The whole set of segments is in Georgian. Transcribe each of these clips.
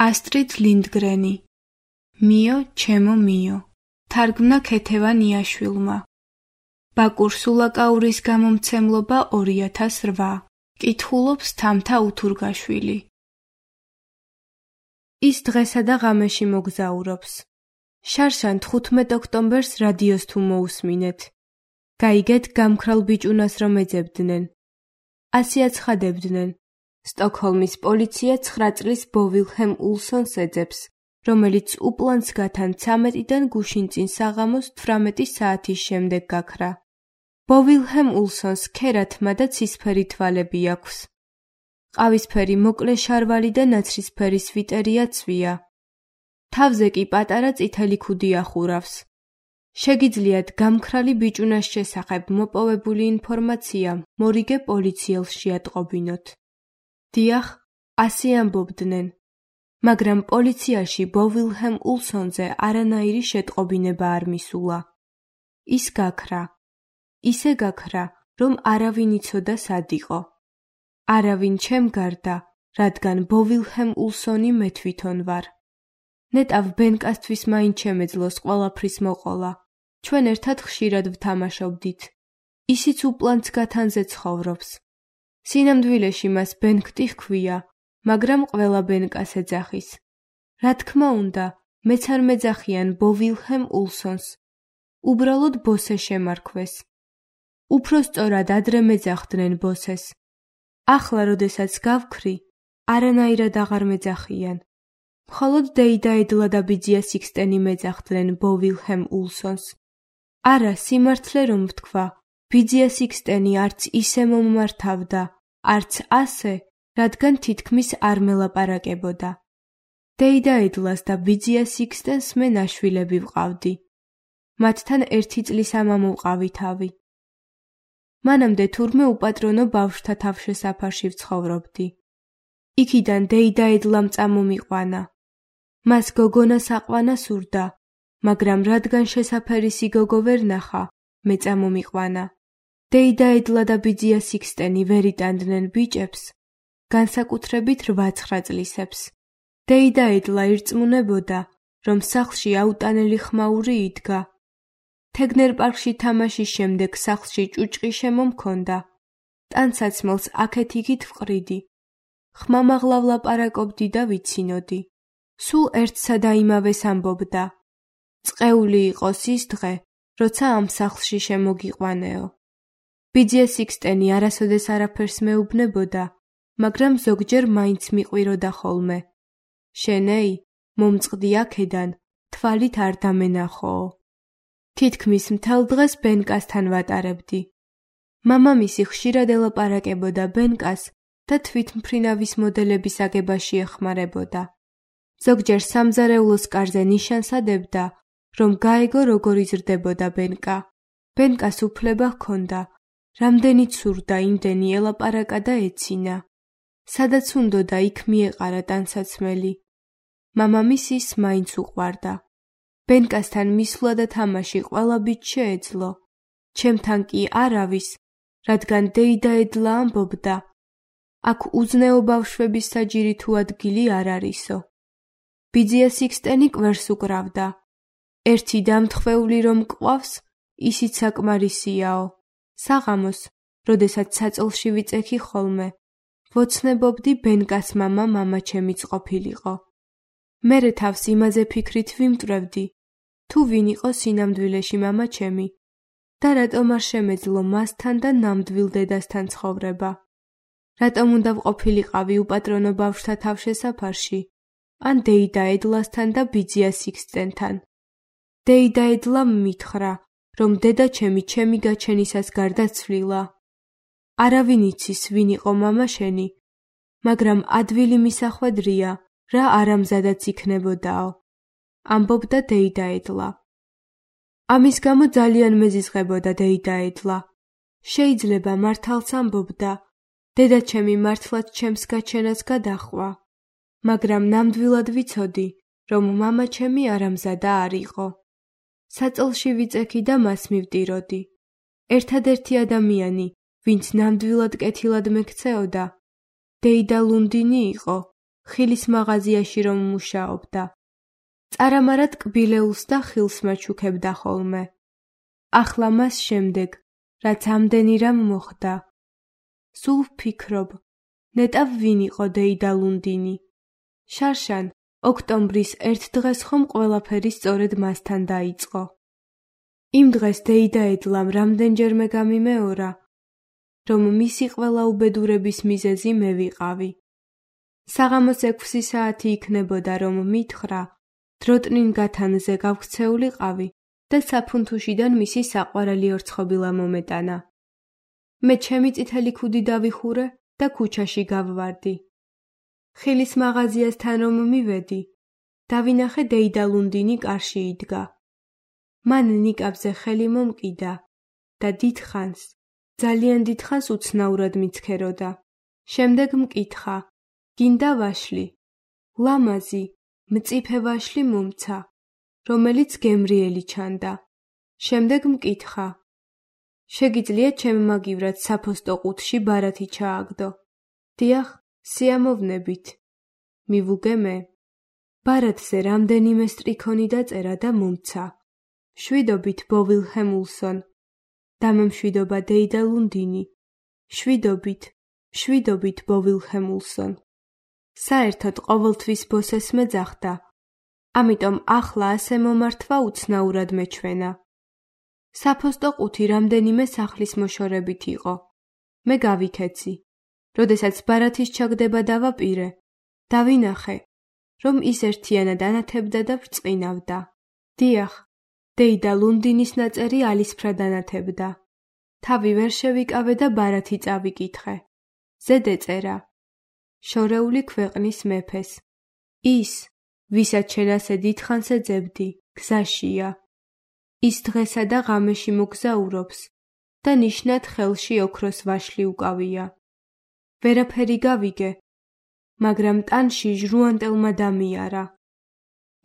ასტრიდ ლინდგრენი მიო ჩემო მიო თარგმნა ქეთევან იაშვილმა ბაკურ სულაკაურის გამომცემლობა 2008 კითხულობს თამთა უთურგაშვილი ის დღესა და ღამეში მოგზაურობს შარშან 15 ოქტომბერს რადიოს თუ მოусმინეთ გაიგეთ გამქრალ ბიჭუნას რომ ეძებდნენ ასე აცხადებდნენ სტოკჰოლმის პოლიცია 9 წლის ბოვილჰემ ულსონს ეძებს რომელიც უპლანს გათან 13-დან გუშინწინ საღამოს 18 საათის შემდეგ გაქრა. ბოვილჰემ ულსონს ქერათმა და ცისფერი თვალები აქვს. ყავისფერი მოკლე შარვალი და ნაცრისფერი სვიტერია ცვია. თავზე კი პატარა წითელი ქუდი ახურავს. შეგიძლიათ გამქრალი ბიჭუნას შესახებ მოპოვებული ინფორმაცია მორიგე პოლიციელს შეატყობინოთ. დიახ, ასე ამბობდნენ. მაგრამ პოლიციაში ბოვილჰემ ულსონზე არანაირი შეტყობინება არ მისულა. ის გაქრა. ისე გაქრა, რომ არავინ იცოდა სად იყო. არავინ ჩემ გარდა, რადგან ბოვილჰემ ულსონი მე თვითონ ვარ. ნეტავ ბენკასთვის მაინც შემეძლოს ყველაფრის მოყოლა. ჩვენ ერთად ხშირად ვთამაშობდით. ისიც უპლანს გათანზე ცხოვრობს. სინამდვილეში მას ბენქტი ჰქვია. მაგრამ ყველა ბენკას ეძახის. რა თქმა უნდა, მეც არ მეძახიან ბოვილჰემ ულსონს. უბრალოდ ბოსე შემარქვეს. უფრო სწორად ადრე მეძახდნენ ბოსეს. ახლა, როდესაც გავქრი, არანაირად აღარ მეძახიან. მხოლოდ დეიდა ედლა და ბიძია სიქსტენი მეძახდნენ ბოვილჰემ ულსონს. არა, სიმართლე რომ ვთქვა, ბიძია სიქსტენი არც ისე მომმართავდა, არც ასე, რადგან თითქმის არ მელაპარაკებოდა. დეიდა ედლას და ბიძია სიქსტენს მე ნაშვილები ვყავდი. მათთან 1 წლის ამამო ვყავი თავი. მანამდე თურმე უპატრონო ბავშვთა თავშესაფარში ვცხოვრობდი. იქიდან დეიდა ედლამ წამომიყვანა. მას გოგონას აყვანა სურდა, მაგრამ რადგან შესაფერისი გოგო ვერ ნახა, მე წამომიყვანა. დეიდა ედლა და ბიძია სიქსტენი ვერ იტანდნენ ბიჭებს, განსაკუთრებით 8-9 წლისებს. დეიდა ედლა ირწმუნებოდა, რომ სახლში აუტანელი ხმაური იდგა. თეგნერ პარკში თამაშის შემდეგ სახლში ჭუჭყი შემომქონდა. ტანსაცმელს აქეთ-იქით ვყრიდი. ხმამაღლა ვლაპარაკობდი და ვიცინოდი. სულ ერთსა და იმავეს ამბობდა. წყეული იყოს ის დღე, როცა ამ სახლში შემოგიყვანეო. ბიძია სიქსტენი არასოდეს არაფერს მეუბნებოდა, მაგრამ ზოგჯერ მაინც მიყვიროდა ხოლმე. შენეი, მომწყდი აქედან, თვალით არ დამენახოო. თითქმის მთელ დღეს ბენკასთან ვატარებდი. მამამისი ხშირად ელაპარაკებოდა ბენკას და თვითმფრინავის მოდელების აგებაში ეხმარებოდა. ზოგჯერ სამზარეულოს კარზე ნიშანს ადებდა, რომ გაეგო როგორ იზრდებოდა ბენკა. ბენკას უფლება ჰქონდა, რამდენიც სურდა იმდენი ელაპარაკა და ეცინა. სადაც უნდოდა იქ მიეყარა ტანსაცმელი. მამამისის მაინც უყვარდა. ბენკასთან მისვლა და თამაში ყველა ბიჭს შეეძლო. ჩემთან კი არავის, რადგან დეიდა ედლა ამბობდა. აქ უზნეო ბავშვების საჯირი თუ ადგილი არ არისო. ბიძია სიქსტენი კვერს უკრავდა. ერთი დამთხვეული რომ გყავს, ისიც საკმარისიაო. საღამოს, როდესაც საწოლში ვიწექი ხოლმე, ვოცნებობდი ბენკას მამა ჩემიც ყოფილიყო. მერე თავს იმაზე ფიქრით ვიმტვრევდი, თუ ვინ იყო სინამდვილეში მამა ჩემი და რატომ არ შემეძლო მასთან და ნამდვილ დედასთან ცხოვრება. რატომ უნდა ვყოფილიყავი უპატრონო ბავშვთა თავშესაფარში, ან დეიდა ედლასთან და ბიძია სიქსტენთან. დეიდა ედლამ მითხრა, რომ დედა ჩემი გაჩენისას გარდაცვლილა. არავინ იცის ვინ იყო მამა შენი, მაგრამ ადვილი მისახვედრია, რა არამზადაც იქნებოდაო. ამბობდა დეიდა ედლა. ამის გამო ძალიან მეზიზღებოდა დეიდა ედლა. შეიძლება მართალს ამბობდა, დედა ჩემი მართლაც ჩემს გაჩენას გადაჰყვა. მაგრამ ნამდვილად ვიცოდი, რომ მამა ჩემი არამზადა არ იყო. საწოლში ვიწექი და მას მივტიროდი. ერთადერთი ადამიანი, ვინც ნამდვილად კეთილად მექცეოდა, დეიდა ლუნდინი იყო, ხილის მაღაზიაში რომ მუშაობდა. წარამარად კბილეულს და ხილს მაჩუქებდა ხოლმე. ახლა მას შემდეგ, რაც ამდენი რამ მოხდა. სულ ვფიქრობ, ნეტავ ვინ იყო დეიდა ლუნდინი. შარშან, ოქტომბრის ერთ დღეს ხომ ყველაფერი სწორედ მასთან დაიწყო. იმ დღეს დეიდა ედლამ რამდენჯერმე გამიმეორა, რომ მისი ყველა უბედურების მიზეზი მე ვიყავი. საღამოს 6 საათი იქნებოდა, რომ მითხრა, დროტნინ გათანზე გავქცეულიყავი და საფუნთუშიდან მისი საყვარელი ორცხობილა მომეტანა. მე ჩემი წითელი ქუდი დავიხურე და ქუჩაში გავვარდი. ხილის მაღაზიასთან რომ მივედი, დავინახე დეიდა ლუნდინი კარში იდგა. მან ნიკაპზე ხელი მომკიდა და დიდხანს, ძალიან დიდხანს უცნაურად მიცქეროდა. შემდეგ მკითხა, გინდა ვაშლი? ლამაზი, მწიფე ვაშლი მომცა, რომელიც გემრიელი ჩანდა. შემდეგ მკითხა, შეგიძლია ჩემმაგივრად საფოსტო ყუთში ბარათი ჩააგდო? დიახ, სიამოვნებით. მივუგე მე. ბარათზე რამდენიმე სტრიქონი დაწერა და მომცა. შვიდობით ბოვილ ჰემულსონ. დამემშვიდობა დეიდა ლუნდინი. შვიდობით ბოვილ ჰემულსონ. საერთოდ ყოველთვის ბოსეს მეძახდა. ამიტომ ახლა ასე მომართვა უცნაურად მეჩვენა. საფოსტო ყუთი რამდენიმე სახლის მოშორებით იყო. მე გავიქეცი. როდესაც ბარათის ჩაგდება დავაპირე, დავინახე, რომ ის ერთიანად ანათებდა და ბრწყინავდა. დიახ, დეიდა ლუნდინის ნაწერი ალისფრად ანათებდა. თავი ვერ შევიკავე და ბარათი წავიკითხე. ზედ ეწერა, შორეული ქვეყნის მეფეს. ის, ვისაც შენ ასე დიდხანს ეძებდი, გზაშია. ის დღესა და ღამეში მოგზაურობს და ნიშნად ხელში ოქროს ვაშლი უკავია. ვერაფერი გავიგე, მაგრამ ტანში ჟრუანტელმა დამიარა.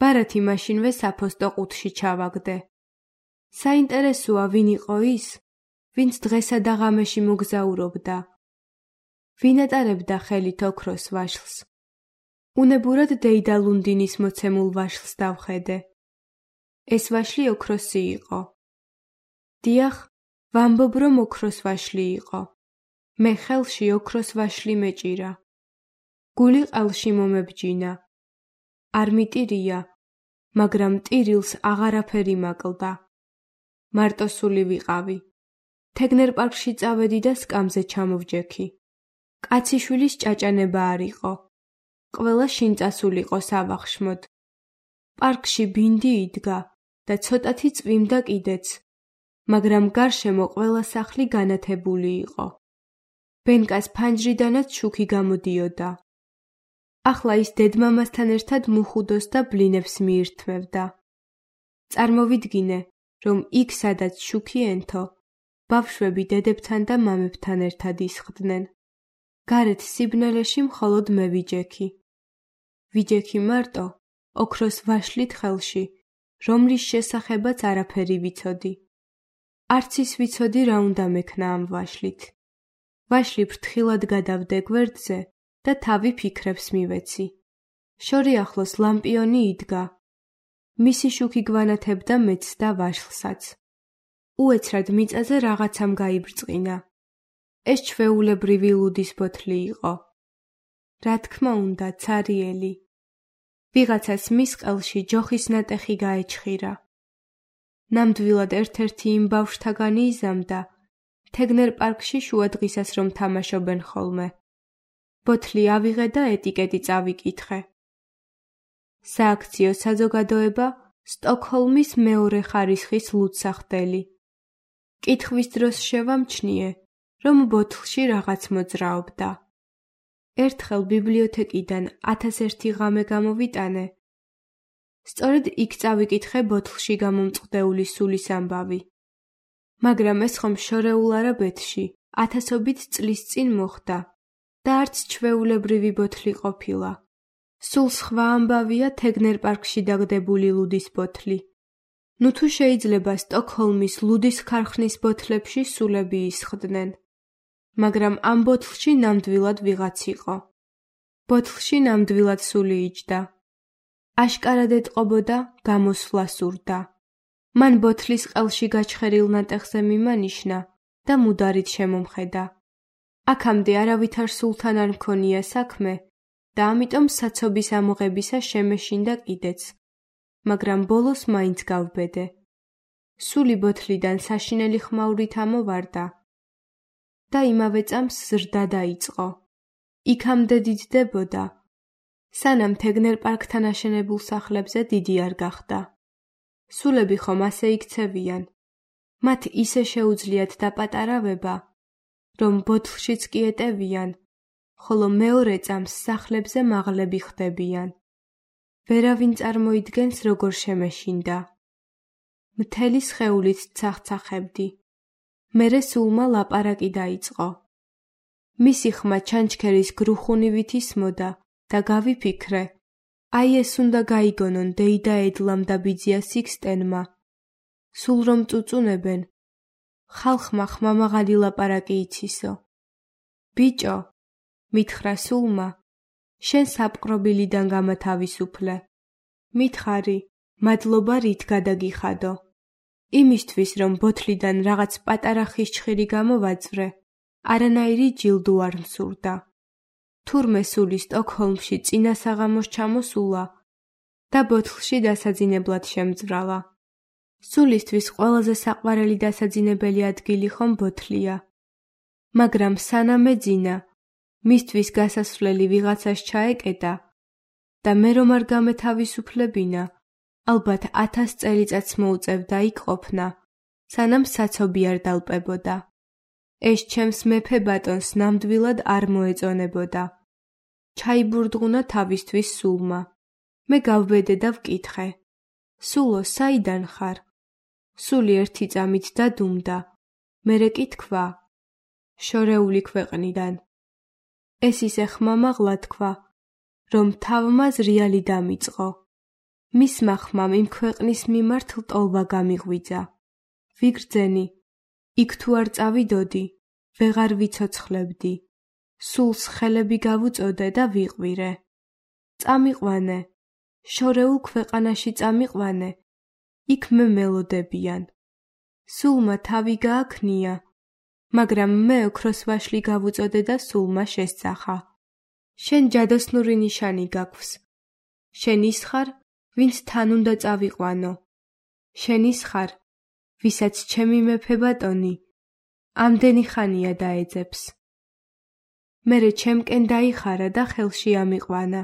ბარათი მაშინვე საფოსტო ყუთში ჩავაგდე. საინტერესოა ვინ იყო ის, ვინც დღესა და ღამეში მოგზაურობდა. ვინ ატარებდა ხელით ოქროს ვაშლს? უნებურად დეიდა ლუნდინის მოცემულ ვაშლს დავხედე. ეს ვაშლი ოქროსი იყო. დიახ, ვამბობ, რომ ოქროს ვაშლი იყო. მე ხელში ოქროს ვაშლი მეჭირა. გული ყელში მომებჯინა. არ მიტირია, მაგრამ ტირილს აღარაფერი მაკლდა. მარტოსული ვიყავი. თეგნერ პარკში წავედი და სკამზე ჩამოვჯექი. კაციშვილის ჭაჭანება არ იყო. ყველა შინწასულიყო სავახშმოდ. პარკში ბინდი იდგა და ცოტათი წვიმდა კიდეც, მაგრამ გარშემო ყველა სახლი განათებული იყო. ბენკას ფანჯრიდანაც შუქი გამოდიოდა. ახლა ის დედმამასთან ერთად მუხუდოს და ბლინებს მიირთმევდა. წარმოვიდგინე, რომ იქ სადაც შუქი ენთო, ბავშვები დედებთან და მამებთან ერთად ისხდნენ. გარეთ სიბნელეში მხოლოდ მე ვიჯექი. ვიჯექი მარტო, ოქროს ვაშლით ხელში, რომლის შესახებაც არაფერი ვიცოდი. არც ის ვიცოდი, რა უნდა მექნა ამ ვაშლით. ვაშლი ფრთხილად გადავდე გვერდზე და თავი ფიქრებს მივეცი. შორი ახლოს ლამპიონი იდგა. მისი შუქი გვანათებდა მეც და ვაშლსაც. უეცრად მიწაზე რაღაცამ გაიბრწყინა. ეს ჩვეულებრივი ლუდის ბოთლი იყო. რა თქმა უნდა, ცარიელი. ვიღაცას მის ყელში ჯოხის ნატეხი გაეჩხირა. ნამდვილად ერთ-ერთი იმ ბავშვთაგანი იზამდა, თეგნერ პარკში შუა დღისას რომ თამაშობენ ხოლმე. ბოთლი ავიღე და ეტიკეტი წავიკითხე. სააქციო საზოგადოება სტოკჰოლმის მეორე ხარისხის ლუდსახდელი. კითხვის დროს შევამჩნიე, რომ ბოთლში რაღაც მოძრაობდა. ერთხელ ბიბლიოთეკიდან 1001 ღამე გამოვიტანე. სწორედ იქ წავიკითხე ბოთლში გამომწყდეული სულის ამბავი. მაგრამ ეს ხომ შორეულ არაბეთში 1000ობით წლის წინ მოხდა და არც ჩვეულებრივი ბოთლი ყოფილა. სულ სხვა ამბავია თეგნერ პარკში დაგდებული ლუდის ბოთლი. ნუ თუ შეიძლება სტოკჰოლმის ლუდის ქარხნის ბოთლებში სულები ისხდნენ. მაგრამ ამ ბოთლში ნამდვილად ვიღაც იყო. ბოთლში ნამდვილად სული იჯდა. აშკარად ეტყობოდა, გამოსვლა სურდა. მან ბოთლის ყელში გაჩხერილ ნატეხზე მიმანიშნა და მუდარით შემომხედა. აქამდე არავითარ სულთან არ მქონია საქმე და ამიტომ საცობის ამოღებისა შემეშინდა კიდეც, მაგრამ ბოლოს მაინც გავბედე. სული ბოთლიდან საშინელი ხმაურით ამოვარდა და იმავე წამს ზრდა დაიწყო. იქამდე დიდდებოდა, სანამ თეგნერ-პარკთან აშენებულ სახლებზე დიდი არ გახდა. სულები ხომ ასე იქცევიან, მათ ისე შეუძლიათ დაპატარავება, რომ ბოთლშიც კი ეტევიან, ხოლო მეორე წამს სახლებზე მაღლები ხდებიან. ვერავინ წარმოიდგენს, როგორ შემეშინდა. მთელი სხეულით ცახცახებდი. მერე სულმა ლაპარაკი დაიწყო. მისი ხმა ჩანჩქერის გრუხუნივით ისმოდა და გავიფიქრე, აი ეს უნდა გაიგონონ დეიდა ედლამ და ბიძია სიქსტენმა. სულ რომ წუწუნებენ, ხალხმა ხმამაღალი ლაპარაკი იცისო. ბიჭო, მითხრა სულმა, შენ საპყრობილიდან გამათავისუფლე. მითხარი, მადლობა რით გადაგიხადო. იმისთვის, რომ ბოთლიდან რაღაც პატარა ხისჩხირი გამოვაძვრე, არანაირი ჯილდო არ მსურდა. თურმე სული სტოკჰოლმში წინა საღამოს ჩამოსულა და ბოთლში დასაძინებლად შემძვრალა. სულისთვის ყველაზე საყვარელი დასაძინებელი ადგილი ხომ ბოთლია. მაგრამ სანამ ეძინა, მისთვის გასასვლელი ვიღაცას ჩაეკეტა და მე რომ არ გამეთავისუფლებინა, ალბათ 1000 წელიწადს მოუწევდა იქ ყოფნა, სანამ საცობი არ დალპებოდა. ეს ჩემს მეფე ბატონს ნამდვილად არ მოეწონებოდა. ჩაიბურდღუნა თავისთვის სულმა. მე გავბედე და ვკითხე, სულო, საიდან ხარ? სული ერთი წამით დადუმდა, მერე კი თქვა, შორეული ქვეყნიდან. ეს ისე ხმამაღლა თქვა, რომ თავმა ზრიალი დამიწყო. მისმა ხმამ იმ ქვეყნის მიმართ ლტოლვა გამიღვიძა. ვიგრძენი, იქ თუ არ წავიდოდი, ვეღარ ვიცოცხლებდი. სულს ხელები გავუწოდე და ვიყვირე. წამიყვანე, შორეულ ქვეყანაში წამიყვანე, იქ მე მელოდებიან. სულმა თავი გააქნია, მაგრამ მე ოქროს ვაშლი გავუწოდე და სულმა შესწახა. შენ ჯადოსნური ნიშანი გაქვს. შენ ის ხარ, ვინც თან უნდა წავიყვანო. შენ ის ხარ, ვისაც ჩემი მეფე ბატონი ამდენი ხანია დაეძებს. მერე ჩემკენ დაიხარა და ხელში ამიყვანა.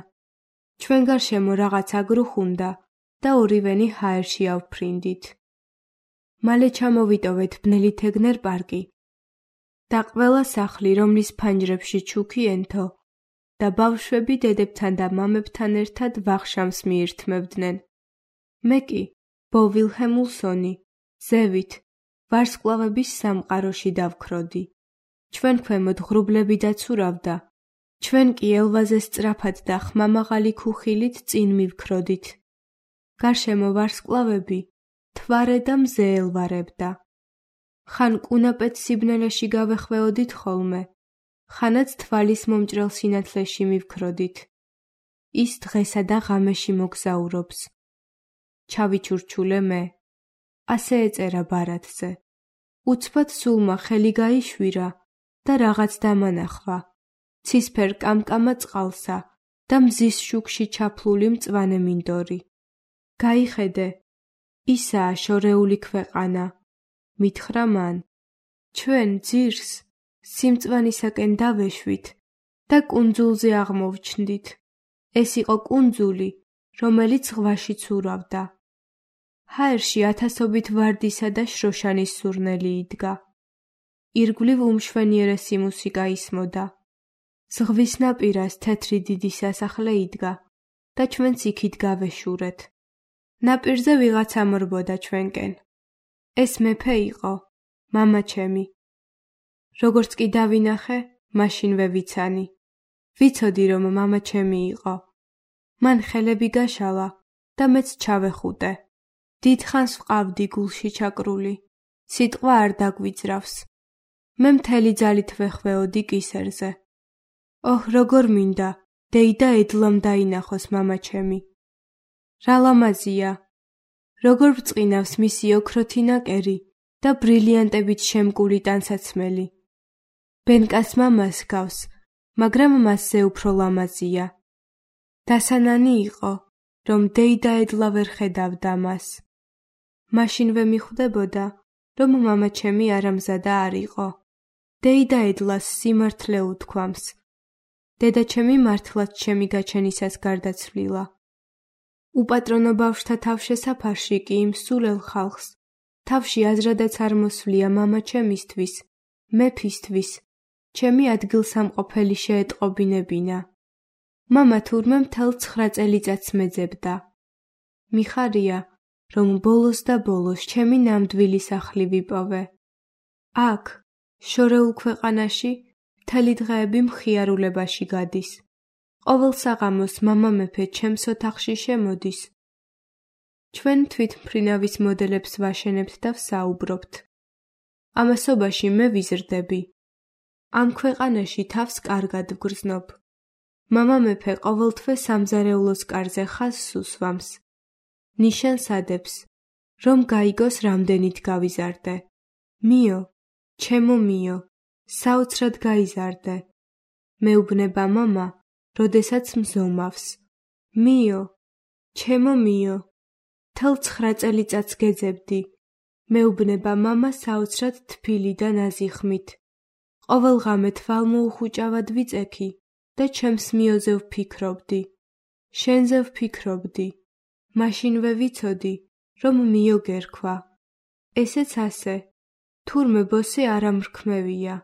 ჩვენ გარშემო რაღაცა გრუხუნდა და ორივენი ჰაერში ავფრინდით. მალე ჩამოვიტოვეთ ბნელი თეგნერ-პარკი და ყველა სახლი, რომლის ფანჯრებში ჩუქი ენთო და ბავშვები დედებთან და მამებთან ერთად ვახშამს მიირთმევდნენ. მე კი, ბო ვილჰემულსონი, ზევით, ვარსკვლავების სამყაროში დავქროდი. ჩვენ ქვემოთ ღრუბლები დაცურავდა, ჩვენ კი ელვაზე სწრაფად და ხმამაღალი ქუხილით წინ მივქროდით. გარშემო ვარსკვლავები თვარე და მზე ელვარებდა. ხან კუნაპეთ სიბნელეში გავეხვეოდით ხოლმე, ხანაც თვალის მომჭრელ სინათლეში მივქროდით. ის დღესა და ღამეში მოგზაურობს. ჩავიჩურჩულე მე. ასე ეწერა ბარათზე. უცბად სულმა ხელი გაიშვირა და რაღაც დამანახვა. ცისფერ კამკამა წყალსა და მზის შუქში ჩაფლული მწვანე მინდორი. გაიხედე, ისაა შორეული ქვეყანა, მითხრა მან. ჩვენ ძირს სიმწვანისაკენ დავეშვით და კუნძულზე აღმოვჩნდით. ეს იყო კუნძული, რომელიც ზღვაში ცურავდა. ჰაერში ათასობით ვარდისა და შროშანის სურნელი იდგა. ირგვლივ უმშვენიერესი მუსიკა ისმოდა. ზღვის ნაპირას თეთრი დიდი სასახლე იდგა და ჩვენც იქით გავეშურეთ. ნაპირზე ვიღაცა მრბოდა ჩვენკენ. ეს მეფე იყო, მამა ჩემი. როგორც კი დავინახე, მაშინვე ვიცანი. ვიცოდი, რომ მამა ჩემი იყო. მან ხელები გაშალა და მეც ჩავეხუტე. დიდხანს ვყავდი გულში ჩაკრული. სიტყვა არ დაგვიძრავს. მე მთელი ძალით ვეხვეოდი კისერზე. ოჰ, როგორ მინდა დეიდა ედლამ დაინახოს მამაჩემი. რა ლამაზია! როგორ ბრწყინავს მისი ოქროთი ნაკერი და ბრილიანტებით შემკული ტანსაცმელი. ბენკას მამას გავს, მაგრამ მასზე უფრო ლამაზია. დასანანი იყო, რომ დეიდა ედლა ვერ ხედავდა მას. მაშინვე მიხვდებოდა, რომ მამაჩემი არამზადა არ იყო. დეიდა ედლას სიმართლე უთქვამს. დედაჩემი მართლაც ჩემი გაჩენისას გარდაცვლილა. უპატრონო ბავშვთა თავშესაფარში კი იმ სულელ ხალხს თავში აზრადაც არ მოსვლია მამაჩემისთვის, მეფისთვის, ჩემი ადგილსამყოფელი შეეტყობინებინა. მამა თურმე მთელ 9 წელიწადს მეძებდა. მიხარია, რომ ბოლოს და ბოლოს ჩემი ნამდვილი სახლი ვიპოვე. აქ, შორეულ ქვეყანაში, მთელი დღეები მხიარულებაში გადის. ყოველ საღამოს მამა მეფე ჩემს ოთახში შემოდის. ჩვენ თვითმფრინავის მოდელებს ვაშენებთ და ვსაუბრობთ. ამასობაში მე ვიზრდები. ამ ქვეყანაში თავს კარგად ვგრძნობ. მამა მეფე ყოველთვე სამზარეულოს კარზე ხაზს უსვამს. ნიშანს ადებს, რომ გაიგოს რამდენით გავიზარდე. მიო, ჩემო მიო, საოცრად გაიზარდე. მეუბნება მამა, როდესაც მზომავს. მიო, ჩემო მიო, მთელ 9 წელიწადს გეძებდი. მეუბნება მამა საოცრად თბილი და ნაზი ხმით. ყოველ ღამე თვალმოუხუჭავად ვიწექი და ჩემს მიოზე ვფიქრობდი. შენზე ვფიქრობდი. მაშინვე ვიცოდი, რომ მიო გერქვა. ესეც ასე. თურმე ბოსე არ ამრქმევია.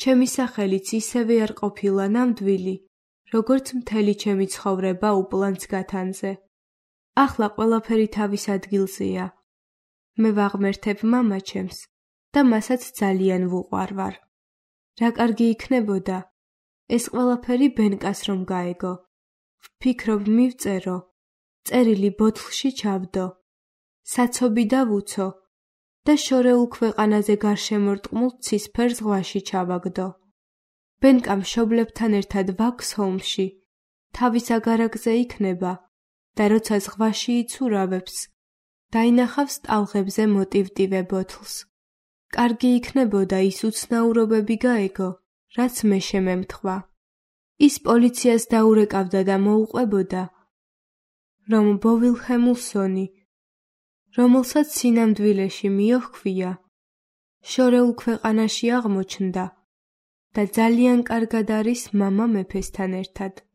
ჩემი სახელიც ისევე არ ყოფილა ნამდვილი, როგორც მთელი ჩემი ცხოვრება უპლანს გათანზე. ახლა ყველაფერი თავის ადგილზეა. მე ვაღმერთებ მამაჩემს და მასაც ძალიან ვუყვარვარ. რა კარგი იქნებოდა, ეს ყველაფერი ბენკას რომ გაეგო. ვფიქრობ მივწერო, წერილი ბოთლში ჩავდო, საცობი დავუცო და შორეულ ქვეყანაზე გარშემორტყმულ ცისფერ ზღვაში ჩავაგდო. ბენკა მშობლებთან ერთად ვაქს ჰოლმსში, თავის აგარაკზე იქნება და როცა ზღვაში იცურავებს, დაინახავს ტალღებზე მოტივტივე ბოთლს. კარგი იქნებოდა ის უცნაურობები გაეგო, რაც მე შემემთხვა. ის პოლიციას დაურეკავდა და მოუყვებოდა, რომ ბოვილჰემულსონი, რომელსაც სინამდვილეში მიოჰქვია, შორეულ ქვეყანაში აღმოჩნდა და ძალიან კარგად არის მამა მეფესთან ერთად.